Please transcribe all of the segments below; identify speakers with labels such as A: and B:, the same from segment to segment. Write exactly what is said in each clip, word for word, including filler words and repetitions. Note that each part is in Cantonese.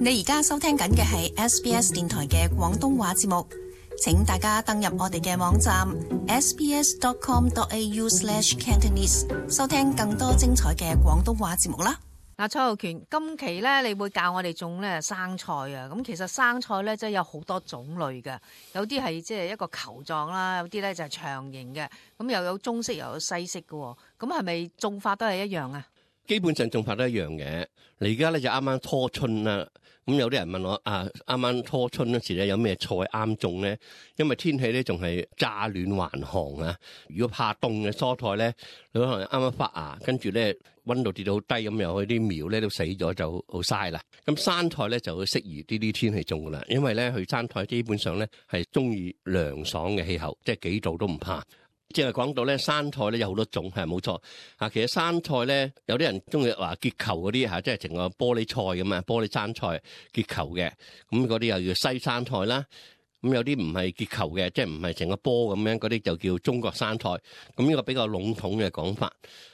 A: 你而家收聽緊嘅係 S B S 電台嘅廣東話節目，請大家登入我哋嘅網站 s b s dot com dot a u slash cantonese 收聽更多精彩嘅廣東話節目啦。
B: 嗱，蔡浩權，今期咧你會教我哋種咧生菜啊。咁其實生菜咧真係有好多種類嘅，有啲係即係一個球狀啦，有啲咧就係長形嘅，咁又有中式又有西式嘅。咁係咪種法都係一樣啊？
C: 基本上種法都一樣嘅。你而家咧就啱啱初春啦，咁有啲人問我啊，啱啱初春嗰時咧有咩菜啱種咧？因為天氣咧仲係乍暖還寒啊。如果怕凍嘅蔬菜咧，你可能啱啱發芽，跟住咧溫度跌到好低，咁又啲苗咧都死咗，就好嘥啦。咁生菜咧就適宜呢啲天氣種噶啦，因為咧佢生菜基本上咧係中意涼爽嘅氣候，即係幾度都唔怕。即係講到咧，生菜咧有好多種，係冇錯啊。其實生菜咧，有啲人中意話結球嗰啲嚇，即係成個玻璃菜咁啊，玻璃生菜結球嘅，咁嗰啲又叫西生菜啦。咁有啲唔係結球嘅，即係唔係成個波咁樣，嗰啲就叫中國生菜。咁呢個比較籠統嘅講法。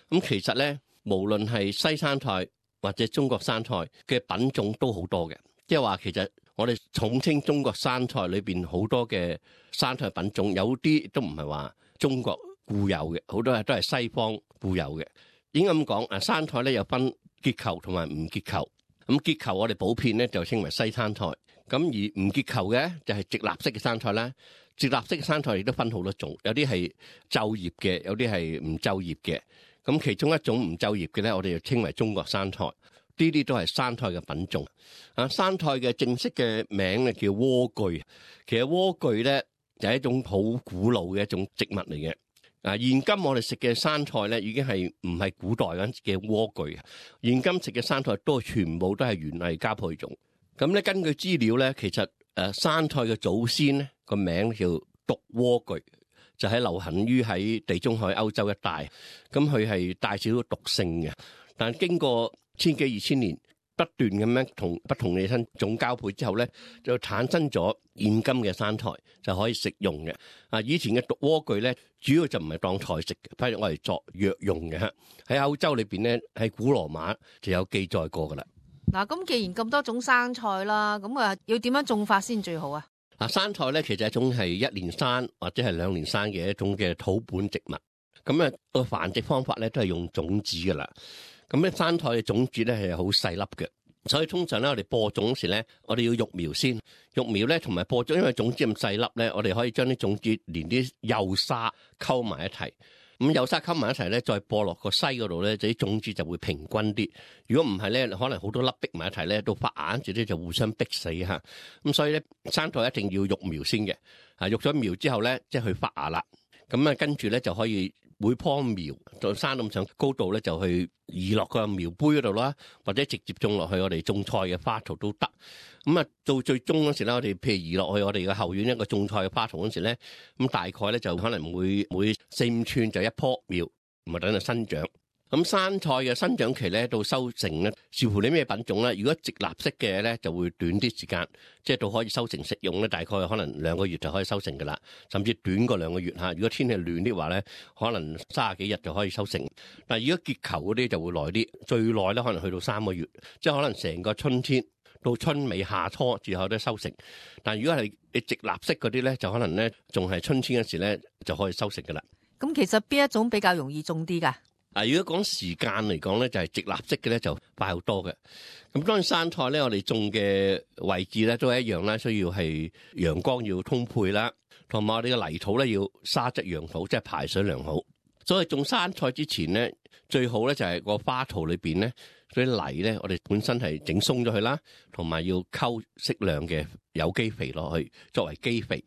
C: 咁其實咧，無論係西生菜或者中國生菜嘅品種都好多嘅，即係話其實我哋統稱中國生菜裏邊好多嘅生菜品種，有啲都唔係話中國固有嘅，好多都係西方固有嘅。應該咁講，啊生菜咧有分結球同埋唔結球。咁結球我哋普遍咧就稱為西生菜，咁而唔結球嘅就係直立式嘅生菜啦。直立式嘅生菜亦都分好多種，有啲係皺葉嘅，有啲係唔皺葉嘅。咁其中一種唔皺葉嘅咧，我哋就稱為中國生菜。呢啲都係生菜嘅品種。啊，生菜嘅正式嘅名咧叫萵苣。其實萵苣咧就係一種好古老嘅一種植物嚟嘅。啊，現今我哋食嘅生菜咧已經係唔係古代嗰陣嘅萵苣。現今食嘅生菜都全部都係園藝加配種。咁咧根據資料咧，其實誒生菜嘅祖先咧個名叫毒萵苣，就係流行於喺地中海歐洲一帶。咁佢係帶少少毒性嘅，但係經過千幾二千年不斷咁樣同不同嘅生種交配之後咧，就產生咗現今嘅生菜，就可以食用嘅。啊，以前嘅毒萵苣咧，主要就唔係當菜食嘅，反而我哋作藥用嘅。喺歐洲裏邊咧，喺古羅馬就有記載過噶啦。
B: 嗱，咁既然咁多種生菜啦，咁啊要點樣種法先最好啊？
C: 嗱，生菜咧其實係一種係一年生或者係兩年生嘅一種嘅土本植物。咁啊個繁殖方法咧都係用種子噶啦。咁咧生菜嘅種子咧係好細粒嘅，所以通常咧我哋播種時咧，我哋要育苗先。育苗咧同埋播種，因為種子咁細粒咧，我哋可以將啲種子連啲幼沙溝埋一齊。咁幼沙溝埋一齊咧，再播落個篩嗰度咧，就啲種子就會平均啲。如果唔係咧，可能好多粒逼埋一齊咧，到發芽嗰陣咧就互相逼死嚇。咁所以咧，生菜一定要育苗先嘅。啊，育咗苗之後咧，即係去發芽啦。咁啊，跟住咧就可以每棵苗就生咁上高度咧，就去移落個苗杯嗰度啦，或者直接種落去我哋種菜嘅花槽都得。咁啊，到最終嗰時咧，我哋譬如移落去我哋嘅後院一個種菜嘅花槽嗰時咧，咁大概咧就可能每每四五寸就一棵苗，唔係等佢生長。咁生菜嘅生長期咧到收成咧，視乎你咩品種啦。如果直立式嘅咧就會短啲時間，即係到可以收成食用咧，大概可能兩個月就可以收成噶啦，甚至短過兩個月嚇。如果天氣暖啲話咧，可能三十幾日就可以收成。但係如果結球嗰啲就會耐啲，最耐咧可能去到三個月，即係可能成個春天到春尾夏初之後都收成。但係如果係你直立式嗰啲咧，就可能咧仲係春天嗰時咧就可以收成噶啦。
B: 咁其實邊一種比較容易種啲㗎？
C: 啊，如果講時間嚟講咧，就係直立式嘅咧就快好多嘅。咁當然生菜咧，我哋種嘅位置咧都係一樣啦，需要係陽光要充沛啦，同埋我哋嘅泥土咧要沙質良好，即係排水良好。所以種生菜之前咧，最好咧就係個花槽裏邊咧，嗰啲泥咧，我哋本身係整鬆咗佢啦，同埋要溝適量嘅有機肥落去作為基肥。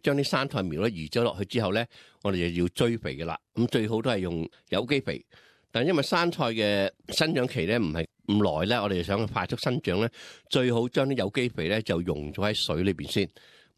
C: 將啲生菜苗咧移咗落去之後咧，我哋就要追肥嘅啦。咁最好都係用有機肥，但係因為生菜嘅生長期咧唔係咁耐咧，我哋想快速生長咧，最好將啲有機肥咧就溶咗喺水裏邊先，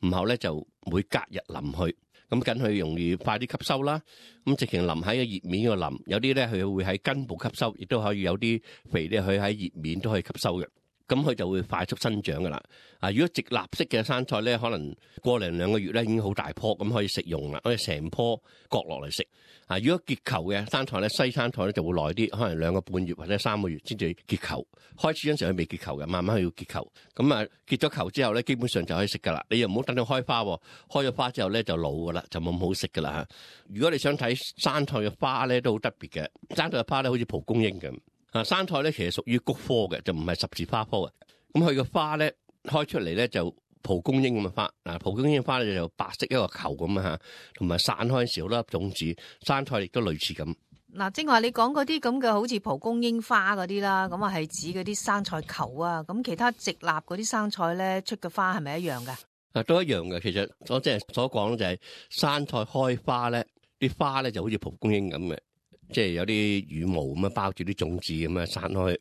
C: 然後咧就每隔日淋去，咁緊佢容易快啲吸收啦。咁直情淋喺個葉面個淋，有啲咧佢會喺根部吸收，亦都可以有啲肥咧佢喺葉面都可以吸收嘅。咁佢就會快速生長噶啦。啊，如果直立式嘅生菜咧，可能過零兩個月咧已經好大棵，咁可以食用啦，可以成棵割落嚟食。啊，如果結球嘅生菜咧，西生菜咧就會耐啲，可能兩個半月或者三個月先至結球。開始嗰陣時佢未結球嘅，慢慢佢要結球。咁啊結咗球之後咧，基本上就可以食噶啦。你又唔好等佢開花，開咗花之後咧就老噶啦，就冇咁好食噶啦嚇。如果你想睇生菜嘅花咧，都好特別嘅。生菜嘅花咧好似蒲公英咁。啊，生菜咧其實屬於菊科嘅，就唔係十字花科嘅。咁佢嘅花咧開出嚟咧就蒲公英咁嘅花。嗱，蒲公英嘅花咧就白色一個球咁啊嚇，同埋散開少粒種子。生菜亦都類似咁。
B: 嗱，正話你講嗰啲咁嘅好似蒲公英花嗰啲啦，咁啊係指嗰啲生菜球啊。咁其他直立嗰啲生菜咧出嘅花係咪一樣㗎？
C: 啊，都一樣嘅。其實我即係所講就係生菜開花咧，啲花咧就好似蒲公英咁嘅。即係有啲羽毛咁樣包住啲種子咁樣散開，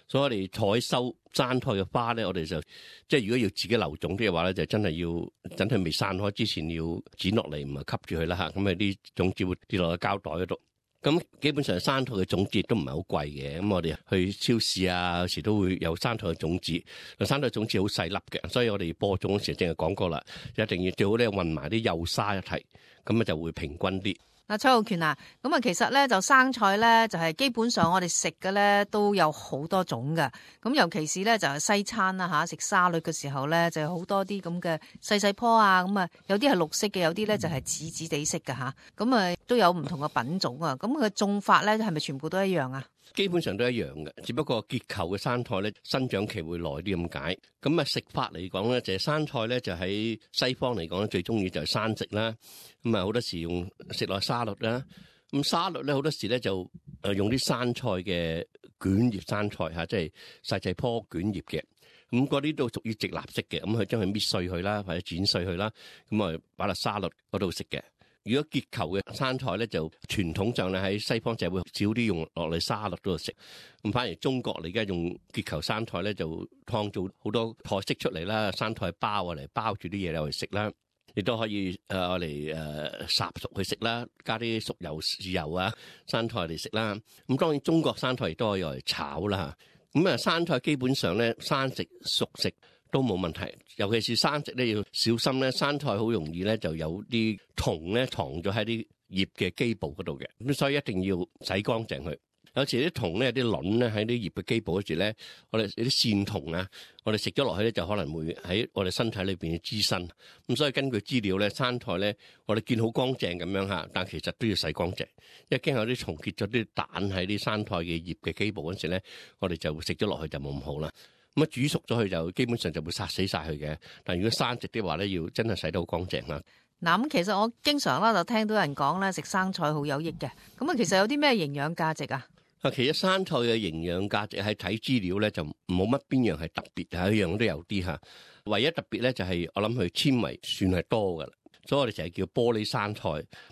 C: 所以我哋採收生菜嘅花咧，我哋就即係如果要自己留種啲嘅話咧，就真係要等佢未散開之前要剪落嚟，唔係吸住佢啦嚇，咁啊啲種子會跌落個膠袋嗰度。咁基本上生菜嘅種子都唔係好貴嘅，咁我哋去超市啊，有時都會有生菜嘅種子。生菜種子好細粒嘅，所以我哋播種嗰時淨係講過啦，一定要最好咧混埋啲幼沙一齊，咁啊就會平均啲。
B: 嗱，蔡浩權啊，咁啊，其實咧就生菜咧就係基本上我哋食嘅咧都有好多種嘅，咁尤其是咧就係西餐啦嚇，食沙律嘅時候咧就有好多啲咁嘅細細棵啊，咁啊有啲係綠色嘅，有啲咧就係紫紫地色嘅嚇，咁啊都有唔同嘅品種啊，咁佢嘅種法咧係咪全部都一樣啊？
C: 基本上都一樣嘅，只不過結球嘅生菜咧生長期會耐啲咁解。咁啊食法嚟講咧，就係生菜咧就喺西方嚟講咧最中意就係生食啦。咁啊好多時用食落沙律啦。咁沙律咧好多時咧就誒用啲生菜嘅捲葉生菜嚇，即係細細棵捲葉嘅。咁嗰啲都屬於直立式嘅，咁佢將佢搣碎佢啦，或者剪碎佢啦，咁啊擺落沙律嗰度食嘅。如果結球嘅生菜咧，就傳統上咧喺西方就會少啲用落嚟沙律嗰度食。咁反而中國你而家用結球生菜咧，就創造好多菜式出嚟啦，生菜包啊嚟包住啲嘢嚟食啦，亦都可以誒嚟誒烚熟去食啦，加啲熟油豉油啊生菜嚟食啦。咁當然中國生菜亦都可以用嚟炒啦。咁啊生菜基本上咧生食熟食都冇問題，尤其是生食咧要小心咧，生菜好容易咧就有啲蟲咧藏咗喺啲葉嘅基部嗰度嘅，咁所以一定要洗乾淨佢。有時啲蟲咧、啲卵咧喺啲葉嘅基部嗰時咧，我哋有啲線蟲啊，我哋食咗落去咧就可能會喺我哋身體裏邊滋生。咁所以根據資料咧，生菜咧我哋見好乾淨咁樣嚇，但其實都要洗乾淨，因為驚有啲蟲結咗啲蛋喺啲生菜嘅葉嘅基部嗰時咧，我哋就食咗落去就冇咁好啦。咁啊煮熟咗佢就基本上就會殺死晒佢嘅，但如果生食的話咧，要真係洗得好乾淨啦。
B: 嗱，咁其實我經常啦就聽到人講咧食生菜好有益嘅，咁啊其實有啲咩營養價值啊？啊，
C: 其實生菜嘅營養價值喺睇資料咧就冇乜邊樣係特別，係一樣都有啲嚇。唯一特別咧就係我諗佢纖維算係多噶啦，所以我哋成日叫玻璃生菜，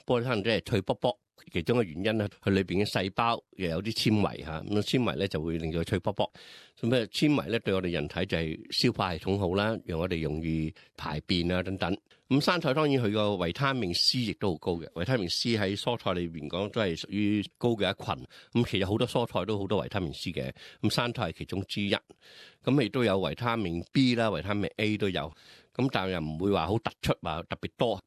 C: 玻璃生菜即係脆卜卜。其中嘅原因咧，佢裏邊嘅細胞又有啲纖維嚇，咁纖維咧就會令到佢脆卜卜。咁啊纖維咧對我哋人體就係消化系統好啦，讓我哋容易排便啊等等。咁生菜當然佢個維他命 C 亦都好高嘅，維他命 C 喺蔬菜裏邊講都係屬於高嘅一群。咁其實好多蔬菜都好多維他命 C 嘅，咁生菜係其中之一。咁亦都有維他命 B 啦，維他命 A 都有。咁但係又唔會話好突出話特別多。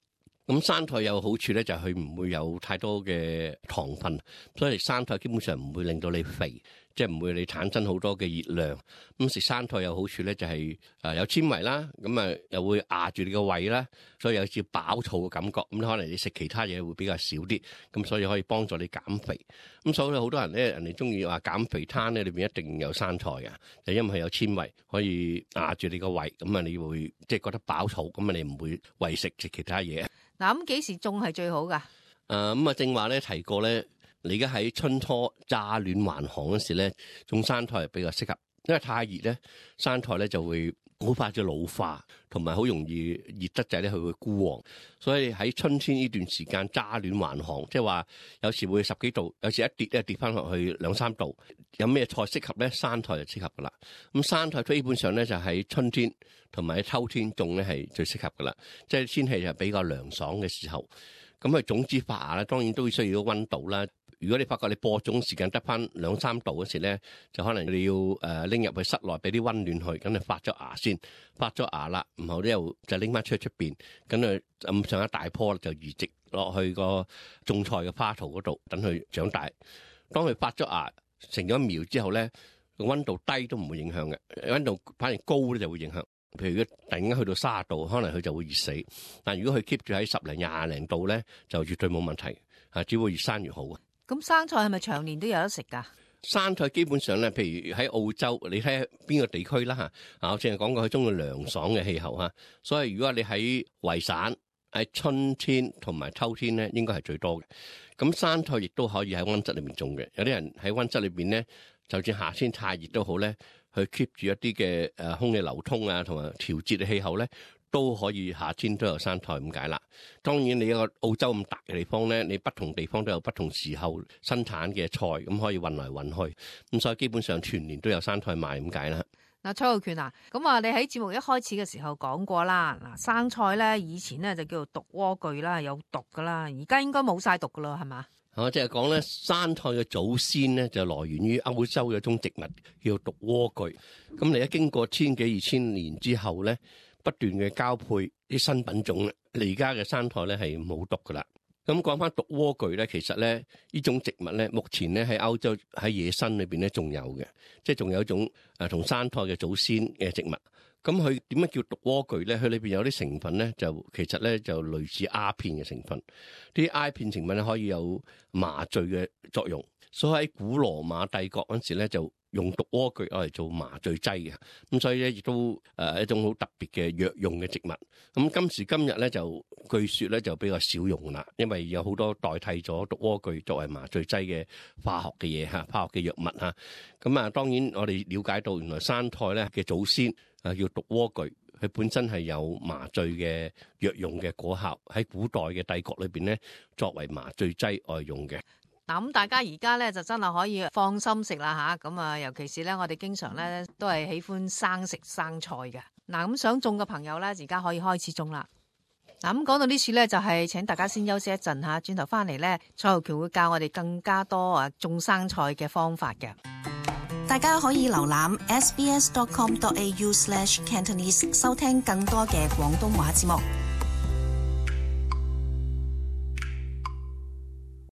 C: 咁生菜有好處咧，就係佢唔會有太多嘅糖分，所以生菜基本上唔會令到你肥，即係唔會你產生好多嘅熱量。咁食生菜有好處咧，就係誒有纖維啦，咁啊又會壓住你個胃啦，所以有少飽肚嘅感覺。咁可能你食其他嘢會比較少啲，咁所以可以幫助你減肥。咁所以好多人咧，人哋中意話減肥餐咧，裏邊一定有生菜嘅，就因為佢有纖維可以壓住你個胃，咁啊你會即係覺得飽肚，咁啊你唔會為食食其他嘢。
B: 嗱，咁幾時種係最好噶？
C: 誒咁啊，正話咧提過咧，你而家喺春初乍暖還寒嗰時咧，種生菜係比較適合，因為太熱咧，生菜咧就會好快就老化，同埋好容易熱得滯咧，佢會枯黃。所以喺春天呢段時間乍暖還寒，即係話有時會十幾度，有時一跌咧跌翻落去兩三度。有咩菜適合咧？生菜就適合噶啦。咁生菜基本上咧就喺春天同埋喺秋天種咧係最適合噶啦，即係天氣就比較涼爽嘅時候。咁佢種子發芽咧，當然都需要溫度啦。如果你發覺你播種時間得翻兩三度嗰時咧，就可能你要誒拎入去室內俾啲溫暖去，咁你發咗芽先，發咗芽啦，然後咧又就拎翻出去出邊，咁啊咁上一大棵就移植落去個種菜嘅花槽嗰度，等佢長大。當佢發咗芽成咗苗之後咧，個溫度低都唔會影響嘅，溫度反而高咧就會影響。譬如如果突然間去到卅度，可能佢就會熱死。但如果佢 keep 住喺十零廿零度咧，就絕對冇問題，啊，只會越生越好。
B: 咁生菜係咪長年都有得食㗎？
C: 生菜基本上咧，譬如喺澳洲，你睇邊個地區啦嚇。啊，我淨係講過佢中意涼爽嘅氣候嚇，所以如果你喺維省喺春天同埋秋天咧，應該係最多嘅。咁生菜亦都可以喺溫室裏面種嘅。有啲人喺溫室裏邊咧，就算夏天太熱都好咧，去 keep 住一啲嘅誒空氣流通啊，同埋調節嘅氣候咧，都可以夏天都有生菜咁解啦。當然你一個澳洲咁大嘅地方咧，你不同地方都有不同時候生產嘅菜，咁可以運來運去，咁所以基本上全年都有生菜賣咁解啦。
B: 嗱，蔡浩權啊，咁啊，你喺節目一開始嘅時候講過啦，嗱，生菜咧以前咧就叫做毒萵苣啦，有毒噶啦，而家應該冇晒毒噶啦，係嘛？
C: 我即係講咧，生菜嘅祖先咧就來源於歐洲嘅一種植物叫毒萵苣。咁你一經過千幾二千年之後咧，不斷嘅交配啲新品種咧，你而家嘅生菜咧係冇毒噶啦。咁講翻毒萵苣咧，其實咧呢種植物咧，目前咧喺歐洲喺野生裏邊咧仲有嘅，即係仲有一種誒同生菜嘅祖先嘅植物。咁佢點樣叫毒萵苣咧？佢裏邊有啲成分咧，就其實咧就類似鴉片嘅成分。啲鴉片成分咧可以有麻醉嘅作用，所以喺古羅馬帝國嗰陣時咧就用毒萵苣攞嚟做麻醉劑嘅。咁所以咧亦都誒一種好特別嘅藥用嘅植物。咁今時今日咧就據說咧就比較少用啦，因為有好多代替咗毒萵苣作為麻醉劑嘅化學嘅嘢嚇，化學嘅藥物嚇。咁啊，當然我哋了解到原來生菜咧嘅祖先啊叫毒萵苣，佢本身係有麻醉嘅藥用嘅果效，喺古代嘅帝國裏邊咧作為麻醉劑愛用嘅。
B: 嗱，咁大家而家咧就真係可以放心食啦吓，咁啊尤其是咧我哋經常咧都係喜歡生食生菜嘅。嗱，咁想種嘅朋友咧而家可以開始種啦。嗱，咁講到呢處咧就係請大家先休息一陣吓，轉頭翻嚟咧蔡浩權會教我哋更加多啊種生菜嘅方法嘅。
A: 大家可以瀏覽 s b s dot com dot a u slash cantonese 收聽更多嘅廣東話節目。